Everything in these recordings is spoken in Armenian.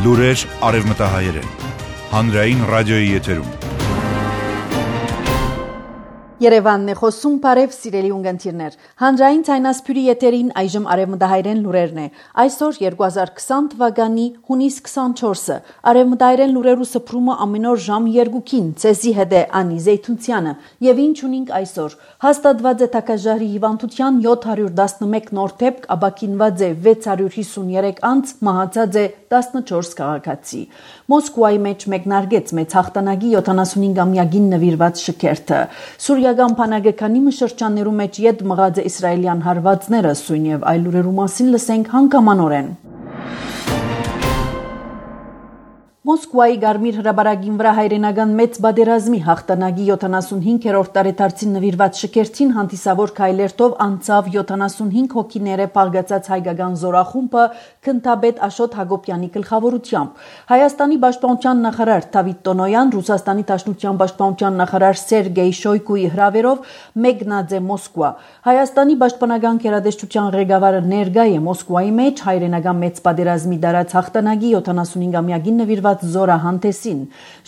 Լուրեր արևմտահայերեն։ Հանրային ռադիոյի եթերում։ Երևանն է խոսում, բարև սիրելի ունգընտիրներ։ Հանրային ցայնասփյուրի եթերին այժմ արևմտահայերեն լուրերն է։ Այսօր 2020 թվականի հունիս 24-ը։ Արևմտահայերեն լուրերու սփռումը ամեն օր ժամ 2-ին ցեզի հետ է Անի Զեյթունցյանը։ Եւ ինչ ունենք այսօր։ Հաստատված է Թակաժարի հիվանդության 711 նոր դեպք, ապաքինված է 653 անձ, մահացած է 14 քաղաքացի։ Մոսկվայի մեջ մեկնարկեց մեծ հաղթանակի 75-ամյակին նվիրված շքերթը։ Սուրիական բանակի մշրջաններու մեջ յետ մղած է իսրայելյան հարվածները, սույն եւ այլ լուրերու մասին լսենք հանգամանորեն։ Մոսկվայի Գարմիր հրաբարագին վրա հայրենական մեծ բادرազմի հաղթանակի 75-րդ տարեդարձին նվիրված շքերթին հանդիսավոր քայլերթով անցավ 75 հոգիները փաղկացած հայկական զորախումբը քնթաբեդ Աշոտ Հակոբյանի գլխավորությամբ։ Հայաստանի պաշտպանության նախարար Դավիթ Տոնոյան, Ռուսաստանի Դաշնության պաշտպանության նախարար Սերգեյ Շոյգուի հրավերով մեկնած է Մոսկվա։ Հայաստանի պաշտպանական գերատեսչության ղեկավարը ներկա է Մոսկվայի մեջ հայրենական մեծ բادرազմի դարած հաղթանակի 75-ամյակին նվիրված զորահանդեսին։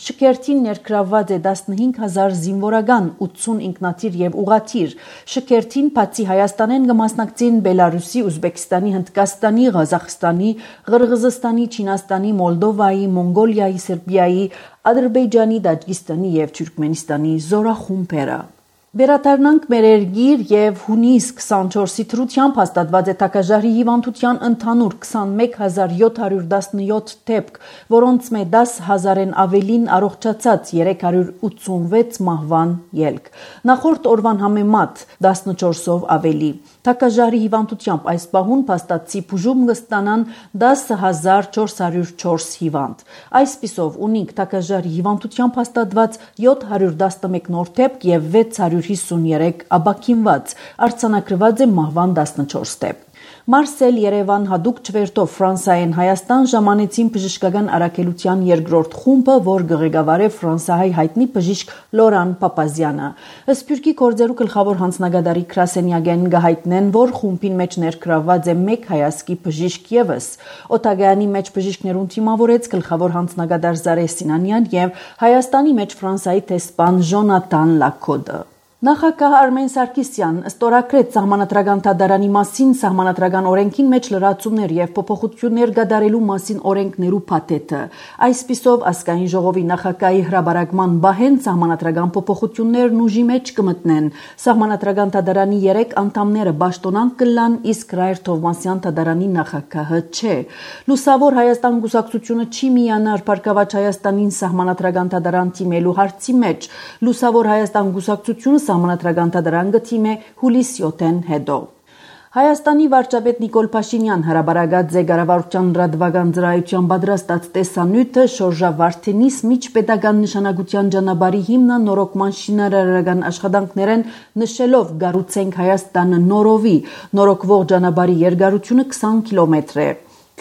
Շքերթին ներգրավված է 15000 զինվորական, 80 ինքնաթիռ եւ ուղաթիռ։ Շքերթին բացի Հայաստանեն կմասնակցին Բելարուսի, Ուզբեկստանի, Հնդկաստանի, Ղազախստանի, Ղրղզստանի, Չինաստանի, Մոլդովայի, Մոնգոլիայի, Սերբիայի, Ադրբեջանի, Տաջիկստանի եւ Թուրքմենստանի զորախումբերը։ Վերադառնանք մեր երգիր եւ հունիս 24-ի թրությամբ հաստատված է Թակաժարի հիվանդության ընդհանուր 21717 դեպք, որոնց մե 10000-ն ավելին առողջացած 386 մահվան ելք։ Նախորդ օրվան համեմատ 14-ով ավելի։ Թակաժարի հիվանդությամբ այս պահուն փաստացի բուժում կստանան 10404 հիվանդ։ Այսպիսով ունենք Թակաժարի հիվանդությամբ հաստատված 711 նոր դեպք եւ 653 ապաքինված, արձանագրված է մահվան 14 դեպք։ Մարսել Երևան հadouk չվերթով Ֆրանսիայեն Հայաստան ժամանեցին բժշկական առաքելության երկրորդ խումբը, որ ղեկավար է ֆրանսահայ հայտնի բժիշկ Լորան Պապազյանը։ Սփյուռքի գործերու գլխավոր հանձնագետարի Քրասենյագեն գահիտնեն, որ խումբին մեջ ներգրավված է մեկ հայացքի բժիշկ եւս։ Օտագայանի մեջ բժիշկներուն թիմավորեց գլխավոր հանձնագետար Զարե Սինանյան եւ Հայաստանի մեջ Ֆրանսիայի տեսփան Ժոնատան Լակոդը։ Նախագահ Արմեն Սարգսյան ստորագրեց սահմանադրական դատարանի մասին սահմանադրական օրենքին մեջ լրացումներ եւ փոփոխություններ կատարելու մասին օրենքներու փաթեթը։ Այսպիսով ազգային ժողովի նախագահի հրաբարակման բահեն սահմանադրական փոփոխություններն ուժի մեջ կմտնեն։ Սահմանադրական դատարանի 3 անդամները պաշտոնանկ կլան, իսկ Ռայր Թովմասյան դատարանի նախագահը չէ։ Լուսավոր Հայաստան գուսակցությունը չի միանար Փառքավաճ Հայաստանին սահմանադրական դատարան թիմելու հարցի մեջ։ Լուսավոր Հայաստան գուսակցությունը Սահմանադրական դատարան գտիմ է հուլիս 7-ին հետո։ Հայաստանի վարչապետ Նիկոլ Փաշինյան հրաբարակած է կառավարության լրատվական ծրագրության պատրաստած տեսանյութը Շորժա Վարդենիս միջպետական նշանակության ճանապարհի հիմնանորոգման շինարարական աշխատանքներեն նշելով «Գառուցենք Հայաստանը նորովի» նորոգվող ճանապարհի երկարությունը 20 կիլոմետր է։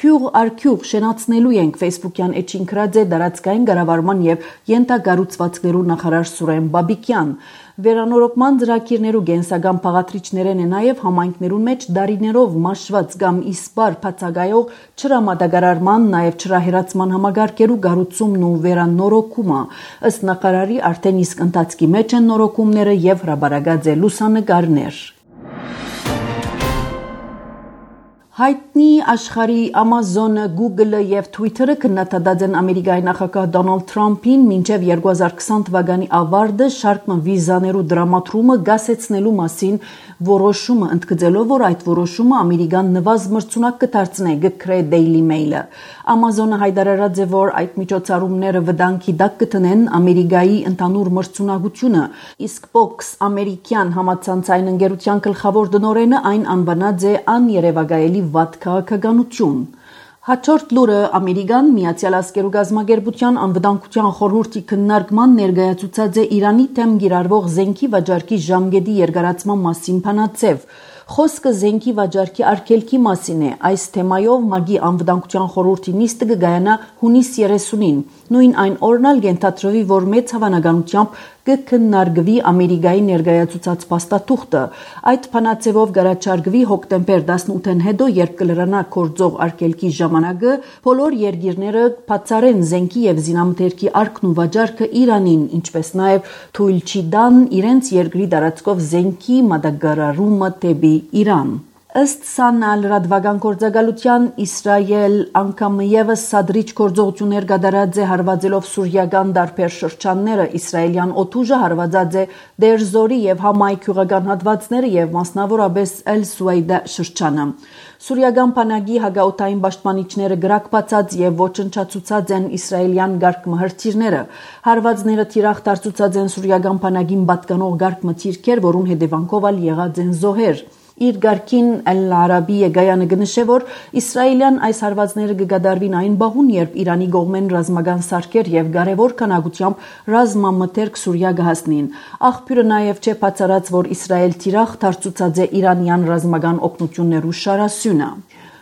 Քյուղ արքյուղ շենացնելու ենք Facebook-յան էջին գրած է դարածքային կառավարման եւ յենթակառուցվածքներու նախարար Սուրեն Բաբիկյան։ Վերանորոգման ծրագիրներու գենսական բաղադրիչներն է նաեւ համայնքներուն մեջ դարիներով մաշված կամ իսպար բացակայող չրամատակարարման, նաեւ չրահերացման համագարկերու կառուցումն ու վերանորոգումը։ Ըստ նախարարի արդեն իսկ ընթացքի մեջ են նորոգումները եւ հրաբարակած է լուսանկարներ։ Հայտնի աշխարհի Amazon-ը, Google-ը եւ Twitter-ը քննադատած են Ամերիկայի նախագահ Դոնալդ Թրամփին մինչեւ 2020 թվականի ավարտը շարք վիզաներու դրամատրումը գասեցնելու մասին որոշումը, ընդգծելով, որ այդ որոշումը Ամերիկան նվազ մրցունակ կդարձնի, գկրե Daily Mail-ը։ Amazon-ը հայտարարած է, որ այդ միջոցառումները վտանգի տակ կտնեն Ամերիկայի ընդհանուր մրցունակությունը, իսկ Fox ամերիկյան համացանցային ընկերության գլխավոր տնօրենը այն անվանած է աներևակայելի վատ քաղաքականություն։ Հաջորդ լուրը Ամերիկան Միացյալ Ազգերու գազམ་ագերբության անվտանգության խորհրդի քննարկման ներկայացուցած է Իրանի դեմ գիրառվող զենքի վաճառքի ժամկետի երկարացման մասին բանաձև։ Խոսքը զենքի վաճառքի արգելքի մասին է։ Այս թեմայով ՄԱԳ-ի անվտանգության խորհրդի նիստը կգայանա հունիս 30-ին։ Նույն այն օրն էլ կենթադրվի, որ մեծ հավանականությամբ կքննարկվի Ամերիկայի ներկայացուցած փաստաթուղթը։ Այդ փանացեվով գարաչարգվի հոկտեմբեր 18-ին հետո, երբ կլրանա գործող արգելքի ժամանակը, բոլոր երկիրները բացառեն զենքի եւ զինամթերքի արկն ու վաճառքը Իրանին, ինչպես նաեւ թույլ չի տան իրենց երկրի տարածքով զենքի մատակարարումը դեպի Իրան։ Ըստ ՍԱՆ լրատվական գործակալության Իսրայել անգամ եւս սադրիչ գործողություններ կատարած է հարվածելով սուրիական տարբեր շրջանները։ Իսրայելյան օդուժը հարվածած է Դեր Զորի եւ Համայ գյուղական հատվածները եւ մասնավորապես Էլ Սուայդա շրջանը։ Սուրիական բանակի հակաօդային պաշտպանիչները գրակբացած եւ ոչնչացուցած են իսրայելյան գարկ-մհրթիռները։ Հարվածները թիրախ դարձուցած են սուրիական բանակին պատկանող գարկ-մթիրքեր, որում հետևանքով եղած են զոհեր։ Իր գարքին Al-Arabi Եգայանը գնշե, որ իսրայելյան այս հարվածները կգադարվին այն բահուն, երբ Իրանի կողմեն ռազմական սարքեր եւ կարևոր քանակությամբ ռազմամթերք Սուրիա կհասնին։ Աղբյուրը նաեւ չէ բացառած, որ Իսրայել թիրախ դարձուցած է իրանյան ռազմական օգնություններու շարասյունը։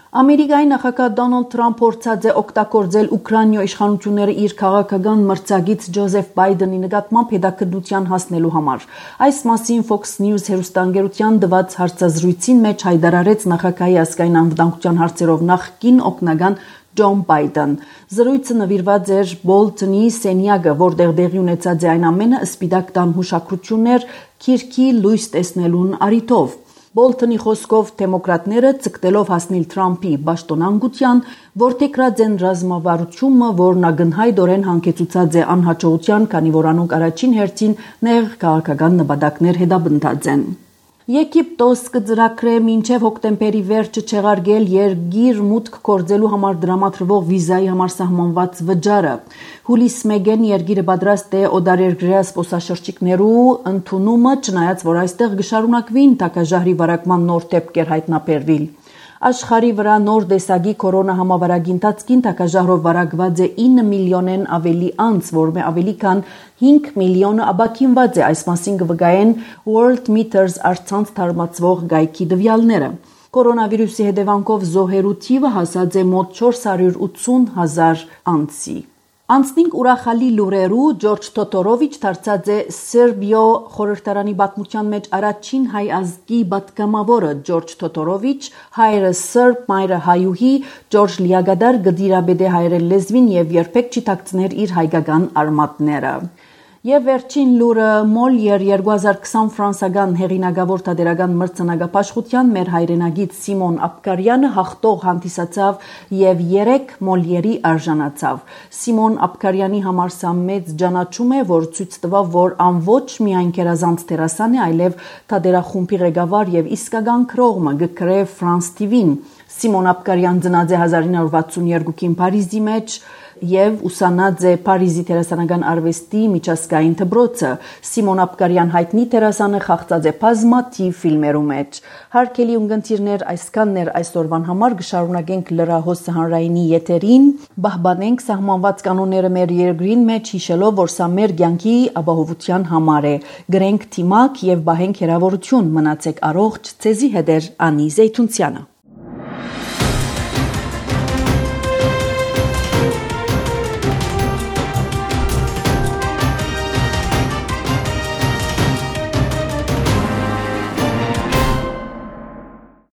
Ամերիկայի նախագահ Դոնալդ Թրամփ փորձած է օգտագործել Ուկրաինայի իշխանությունները իր քաղաքական մրցակից Ջոզեֆ Բայդենի նկատմամբ հետաքրքրության հասնելու համար։ Այս մասին Fox News հեռուստաընկերության տված հարցազրույցին մեջ հայտարարեց նախագահի ազգային անվտանգության հարցերով նախկին օգնական Ջոն Բայդեն։ Զրույցը նվիրված էր Բոլթոնի սենյակը, որտեղ տեղի ունեցած է այն ամենը սպիտակ տան հուշագրություններ քիրքի լույս տեսնելուն առիթով։ Բոլթոնի խոսքով դեմոկրատները ցկտելով հասնել Թրամփի պաշտոնանկության, որտեղած են ռազմավարությունը, որն ակնհայտորեն հանգեցուցած է անհաջողության, քանի որ անոնք առաջին հերթին նեղ քաղաքական նպատակներ հետապնդած են։ Եգիպտոս կծրագրե մինչև հոկտեմբերի վերջը չեղարկել երկիր մուտք գործելու համար դրամատրվող վիզայի համար սահմանված վճարը։ Հուլիս 1-ին երկիրը պատրաստ է օտարերկրյա զբոսաշրջիկներու ընդունումը, չնայած որ այստեղ կշարունակվին տակաժահրի վարակման նոր դեպքեր հայտնաբերվել։ Աշխարհի վրա նոր տեսակի կորոնա համավարակի ընթացքին տակաժահրով վարակված է 9 միլիոնեն ավելի անց, որը ավելի քան 5 միլիոնը աբակինված է, այս մասին կվկայեն Worldmeters առցանց թարմացվող գայքի տվյալները։ Կորոնավիրուսի հետևանքով զոհերու թիվը հասած է մոտ 480,000 անցի։ Անցնինք ուրախալի լուրերու Ջորջ Թոթորովիչ դարձած է Սերբիո խորհրդարանի պատմության մեջ առաջին հայ ազգի պատգամավորը։ Ջորջ Թոթորովիչ, հայրը սերբ, մայրը հայուհի, Ջորջ Լիագադար գդիրաբեդե հայերեն լեզվին եւ երբեք չի թաքցներ իր հայկական արմատները։ Եվ վերջին լուրը Մոլիեր 2020 ֆրանսական հեղինակավոր թատերական մրցանակապաշխության մեր հայրենագիծ Սիմոն Աբկարյանը հաղթող հանդիսացավ եւ 3 Մոլիերի արժանացավ։ Սիմոն Աբկարյանի համար սա մեծ ճանաչում է, որ ցույց տվավ, որ ոչ միայն քերազանց դերասան է, այլև թատերախումբի ղեկավար եւ իսկական քրողը գկրե Ֆրանս TV-ին։ Սիմոն Աբկարյան ծնած է 1962-ին Փարիզի մեջ եւ ուսանած է Փարիզի դերասանական արվեստի միջազգային դպրոցը։ Սիմոն Աբկարյան հայտնի դերասանը խաղացած է բազմաթիվ ֆիլմերու մեջ։ Հարգելի ունկնդիրներ, այսքանն էր այսօրվան համար, կշարունակենք լրահոսը հանրայինի եթերին, պահպանենք սահմանված կանոնները մեր երկրին մեջ, հիշելով, որ սա մեր կյանքի ապահովության համար է։ Գրենք թիմակ եւ բահենք հերավորություն, մնացեք առողջ, ցեզի հետ է Անի Զեյթունցյանը։